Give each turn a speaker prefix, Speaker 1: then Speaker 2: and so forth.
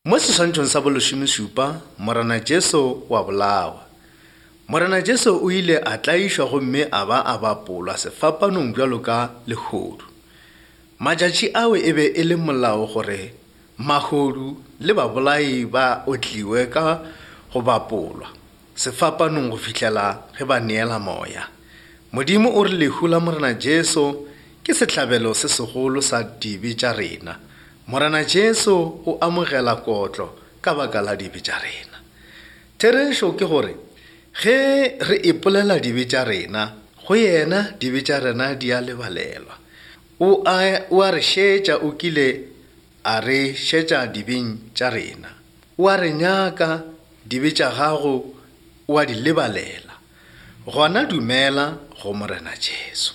Speaker 1: Mo seswantšhong sa bolesomešupa, Morena Jesu o a bolawa. Morena Jesu o ile a tlaišwa gomme a ba a bapolwa sefapanong bjalo ka lehodu. Matšatši ao e be e le molao gore mahodu le babolai ba otliwe ka go bapolwa sefapanong go fihlela ge ba neela moya. Modimo o re lehu la Morena Jesu ke sehlabelo se segolo sa dibe tša rena. Morena Jesu o amogela kotlo ka baka la dibe tša rena. Therešo ke gore ge re ipolela dibe tša rena go yena, dibe tša rena di a lebalelwa. O a, o a re šetša, o kile a re šetša dibeng tša rena. O a re nyaka, dibe tša gago o a di lebalela. Gona dumela go Morena Jesu.